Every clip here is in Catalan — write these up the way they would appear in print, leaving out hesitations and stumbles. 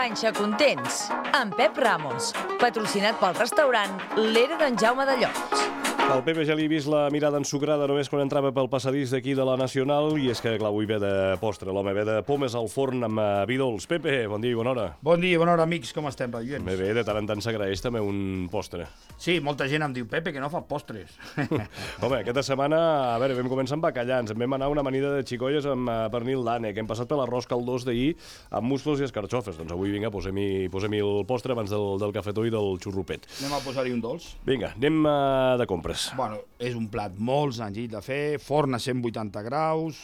Panxa Contents, amb Pep Ramos, patrocinat pel restaurant L'Era d'en Jaume de Llocs. El Pepe ja li he vist la mirada ensucrada només quan entrava pel passadís d'aquí de la Nacional i és que, clar, avui ve de postre, l'home ve de pomes al forn amb vi dolç. Pepe, bon dia i bona hora. Bon dia, bona hora, amics, com estem, radioents? Bé, de tant en tant s'agraeix també un postre. Sí, molta gent em diu, Pepe, que no fa postres. Home, aquesta setmana, a veure, vam començar amb bacallans, en vam anar una amanida de xicolles amb pernil d'ànec, hem passat per l'arròs caldós d'ahir amb musclos i escarxofes. Doncs avui, vinga, posem-hi el postre abans del cafetó i del xurrupet. Anem a posar-hi un dolç. Vinga, anem de compres. Bueno, és un plat molt senzill de fer, forn a 180 graus,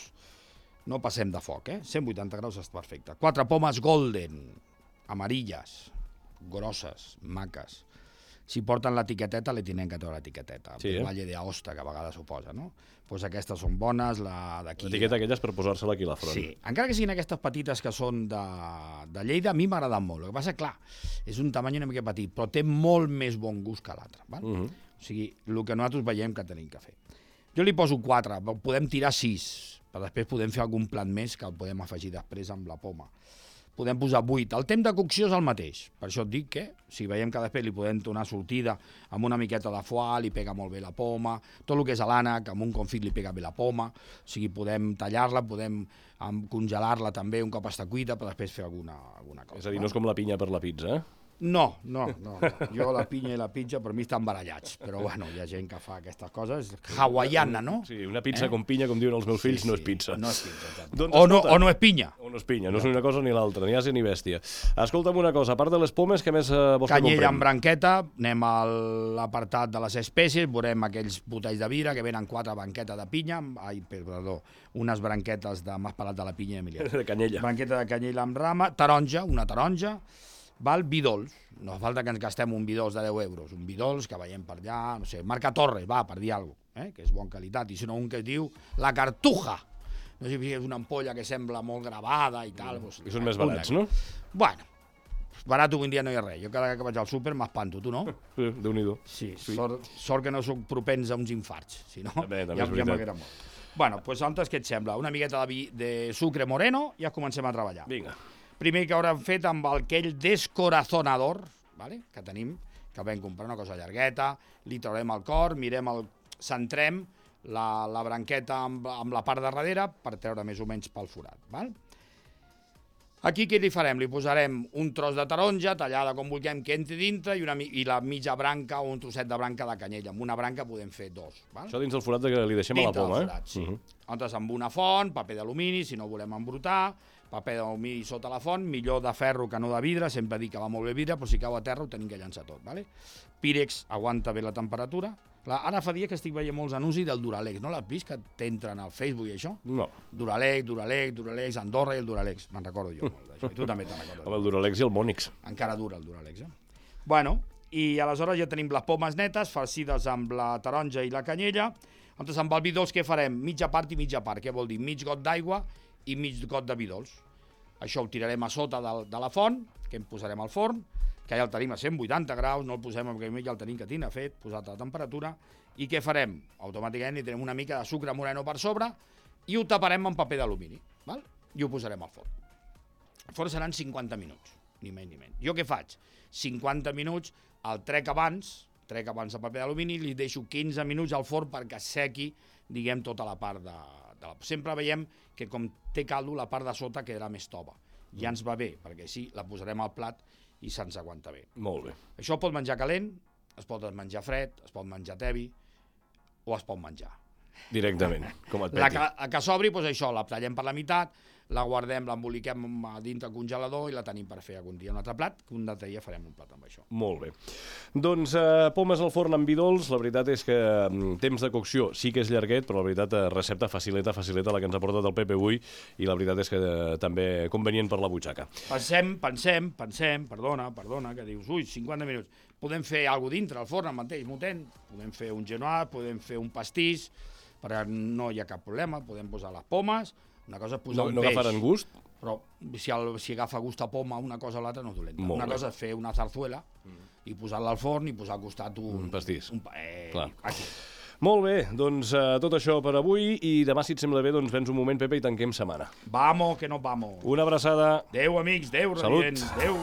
no passem de foc, 180 graus és perfecte. 4 pomes golden, amarilles, grosses, maques. Si porten l'etiqueteta, li tenen que treure l'etiqueteta. Sí, Valle de Aosta, que a vegades ho posa, no? Doncs aquestes són bones, la d'aquí... L'etiqueta aquella és per posar-se-la aquí a la front. Sí, encara que siguin aquestes petites que són de Lleida, a mi m'agraden molt. El que passa, clar, és un tamany una mica petit, però té molt més bon gust que l'altre. O sigui, el que nosaltres veiem que tenim que fer. Jo li poso 4, podem tirar 6, però després podem fer algun plat més que el podem afegir després amb la poma. Podem posar 8. El temps de cocció és el mateix. Per això et dic que, si veiem que després li podem donar sortida amb una miqueta de foie, li pega molt bé la poma, tot el que és l'ànec, amb un confit li pega bé la poma, o sigui, podem tallar-la, podem congelar-la també un cop està cuita, per després fer alguna cosa. És a dir, no és com la pinya per la pizza, No. Jo la pinya i la pizza per mi estan barallats, però bueno, hi ha gent que fa aquestes coses. Hawaiana, no? Sí, una pizza com pinya, com diuen els meus fills, no és pizza. No és pizza, exacte. Doncs, o no és pinya. O no és pinya, no és una cosa ni l'altra, ni ase ni bèstia. Escolta'm una cosa, a part de les pomes, què més vols que comprem? Canyella amb branqueta, anem a l'apartat de les espècies, veurem aquells botells de vidre que venen 4 branquetes de pinya, unes branquetes de m'has parlat de la pinya, Emilià. De canyella. Branqueta de canyella amb rama, taronja, una taronja, val vi dolç, no fa falta que ens gastem un vi dolç de 10 euros, un vi dolç que veiem per allà, no sé, marca Torres, va, per dir alguna cosa, que és bona qualitat, i si no un que es diu la Cartuja, no sé si és una ampolla que sembla molt gravada i tal. I són més barats, no? Bueno, barat avui en dia no hi ha res, jo cada que vaig al súper m'espanto, tu no? Sí, Déu-n'hi-do. Sí, sort que no soc propens a uns infarts, si no, també ja m'haguera mort. Bueno, doncs antes què et sembla? Una miqueta de sucre moreno i ja comencem a treballar. Vinga. Primer que haurem fet amb aquell descorazonador, que tenim, que vam comprar una cosa llargueta, li traurem el cor, centrem la branqueta amb la part de darrere per treure més o menys pel forat. Aquí què li farem? Li posarem un tros de taronja, tallada com vulguem que entri dintre, i la mitja branca o un trosset de branca de canyella. Amb una branca podem fer 2. Això dins del forat que li deixem a la poma, forat, sí. Llavors amb una font, paper d'alumini, si no volem embrutar, paper d'alumini sota la font, millor de ferro que no de vidre, sempre dic que va molt bé vidre, però si cau a terra ho tenim que llançar tot. Pírex aguanta bé la temperatura. Ara fa dies que estic veient molts anuncis del Duralex, no l'has vist que t'entren al Facebook i això? No. Duralex, Andorra i el Duralex, me'n recordo jo molt d'això, i tu també te'n recordes. Amb el Duralex i el Mònix. Encara dura el Duralex, Bueno, i aleshores ja tenim les pomes netes, farcides amb la taronja i la canyella. Llavors amb el vi dolç què farem? Mitja part i mitja part, què vol dir? Mig got d'aigua i mig got de vi dolç. Això ho tirarem a sota de la font, que en posarem al forn, que ja el tenim a 180 graus, no el posem perquè ja el tenim que tindre fet, posat a la temperatura, i què farem? Automàticament hi tenim una mica de sucre moreno per sobre i ho taparem amb paper d'alumini, i ho posarem al forn. El forn seran 50 minuts, ni menys ni menys. Jo què faig? 50 minuts, el trec abans de paper d'alumini, li deixo 15 minuts al forn perquè sequi, diguem, tota la part de... Sempre veiem que com té caldo, la part de sota quedarà més tova. Ja ens va bé, perquè així la posarem al plat i se'ns aguanta bé. Molt bé. Això pot menjar calent, es pot menjar fred, es pot menjar tebi o es pot menjar. Directament, com et peti. La que s'obri, doncs això, la tallem per la meitat, la guardem, l'emboliquem dintre el congelador i la tenim per fer algun dia un altre plat, que un altre dia farem un plat amb això. Molt bé. Doncs pomes al forn amb vi dolç, la veritat és que temps de cocció sí que és llarguet, però la veritat recepta facileta la que ens ha portat el Pepe avui i la veritat és que també convenient per la butxaca. Pensem, perdona, que dius, 50 minuts, podem fer alguna cosa dintre al forn al mateix moment, podem fer un genois, podem fer un pastís, perquè no hi ha cap problema, podem posar les pomes. Una cosa és posar un peix. No agafaran gust? Però si agafa gust a poma una cosa o l'altra no és dolenta. Una cosa és fer una zarzuela i posar-la al forn i posar al costat un pastís. Aquí. Molt bé, doncs tot això per avui i demà, si et sembla bé, doncs vens un moment, Pepe, i tanquem setmana. Vamos, que nos vamos. Una abraçada. Adéu, amics, adéu, Salut. residents, adéu.